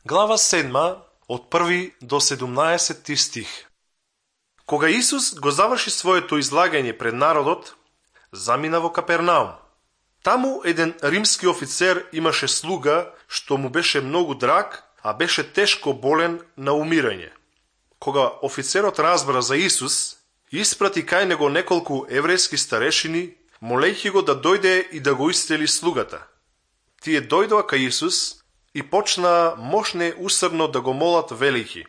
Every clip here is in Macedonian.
Глава 7 од 1 до 17 стих. Кога Исус го заврши своето излагање пред народот, замина во Капернаум. Таму еден римски офицер имаше слуга што му беше многу драг, а беше тешко болен на умирање. Кога офицерот разбра за Исус, испрати кај него неколку еврејски старешини, молејќи го да дојде и да го исцели слугата. Тие дојдоа кај Исус и почнаа мощне усрдно да го молат велики: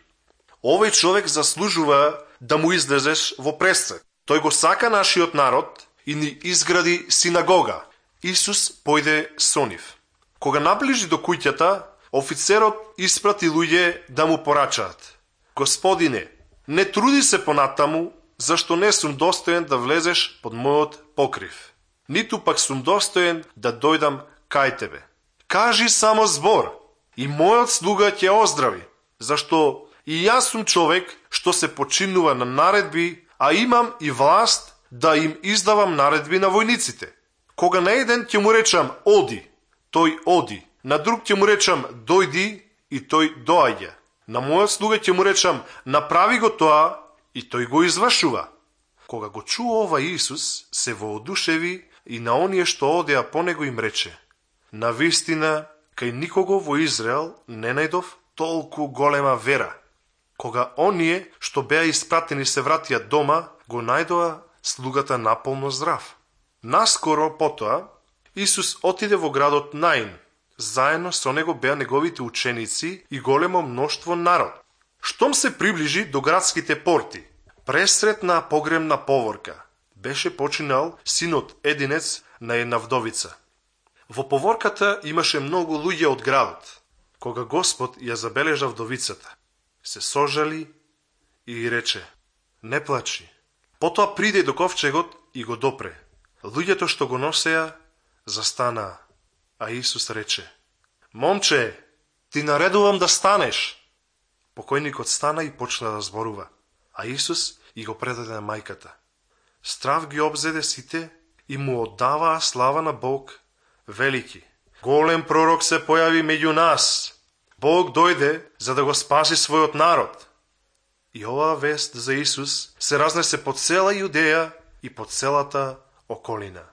овој човек заслужува да му излезеш во престрет. Тој го сака нашиот народ и ни изгради синагога. Исус појде со нив. Кога наближи до куќата, офицерот испрати луѓе да му порачаат: Господине, не труди се понатаму, зашто не сум достоен да влезеш под мојот покрив. Ниту пак сум достоен да дојдам кај тебе. Кажи само збор и мојот слуга ќе оздрави, зашто и јас сум човек што се починува на наредби, а имам и власт да им издавам наредби на војниците. Кога на еден ќе му речам оди, тој оди, на друг ќе му речам дојди и тој доаѓа. На мојот слуга ќе му речам направи го тоа и тој го извршува. Кога го чуо ова Исус, се воодушеви и на оние што одеа по него им рече: навистина, кај никого во Израел не најдов толку голема вера. Кога оние што беа испратени се вратија дома, го најдоа слугата наполно здрав. Наскоро потоа, Исус отиде во градот Наин. Заедно со него беа неговите ученици и големо мноштво народ. Штом се приближи до градските порти, пресретна погремна поворка, беше починал синот единец на една вдовица. Во поворката имаше многу луѓе од градот. Кога Господ ја забележа вдовицата, се сожали и рече: не плачи. Потоа приде до ковчегот и го допре. Луѓето што го носеа застанаа, а Исус рече: момче, ти наредувам да станеш. Покојникот стана и почна да зборува, а Исус и го предаде на мајката. Страв ги обзеде сите и му оддаваа слава на Бог, велики: голем пророк се појави меѓу нас. Бог дојде за да го спаси својот народ. И оваа вест за Исус се разнесе по цела Јудеја и по целата околина.